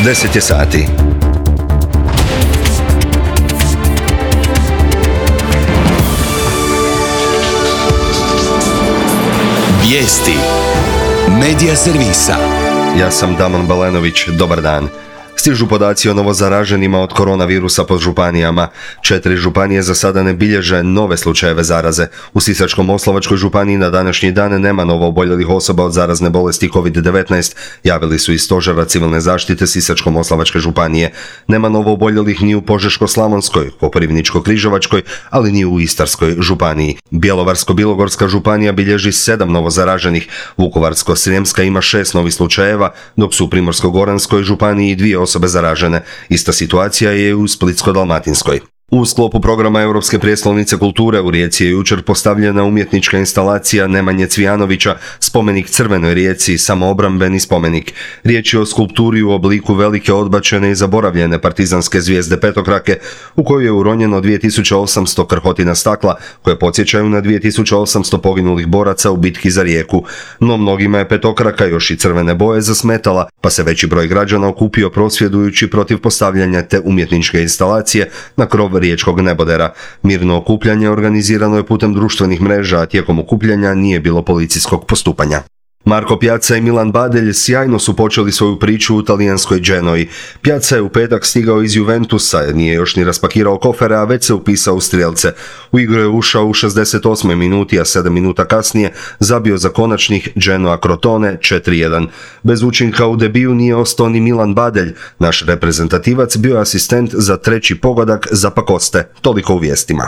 10 je sati. Vijesti Medija servisa. Ja sam Damon Balenović, dobar dan. Stižu podaci o novozaraženima od koronavirusa po županijama. 4 županije za sada ne bilježe nove slučajeve zaraze. U Sisačko-moslavačkoj županiji na današnji dan nema novooboljelih osoba od zarazne bolesti COVID-19, javili su iz Stožera civilne zaštite Sisačko-moslavačke županije. Nema novooboljelih ni u Požeško-slavonskoj, Koprivničko-križevačkoj, ali ni u Istarskoj županiji. Bjelovarsko-bilogorska županija bilježi 7 novozaraženih, Vukovarsko-srijemska ima 6 novih slučajeva, dok su u Primorsko-goranskoj županiji 2 osobe zaražene. Ista situacija je u Splitsko-dalmatinskoj. U sklopu programa Europske prijestolnice kulture u Rijeci je jučer postavljena umjetnička instalacija Nemanje Cvijanovića, spomenik Crvenoj Rijeci, samoobrambeni spomenik. Riječ je o skulpturi u obliku velike odbačene i zaboravljene partizanske zvijezde petokrake, u kojoj je uronjeno 2800 krhotina stakla, koje podsjećaju na 2800 poginulih boraca u bitki za Rijeku. No mnogima je petokraka još i crvene boje zasmetala, pa se veći broj građana okupio prosvjedujući protiv postavljanja te umjetničke instalacije na krov riječkog nebodera. Mirno okupljanje organizirano je putem društvenih mreža, a tijekom okupljanja nije bilo policijskog postupanja. Marko Pjaca i Milan Badelj sjajno su počeli svoju priču u talijanskoj Genoji. Pjaca je u petak stigao iz Juventusa, nije još ni raspakirao kofere, a već se upisao u strijelce. U igru je ušao u 68. minuti, a 7 minuta kasnije zabio za konačnih Genoa Crotone 4-1. Bez učinka u debiju nije ostao ni Milan Badelj. Naš reprezentativac bio je asistent za treći pogodak za Pakoste. Toliko u vijestima.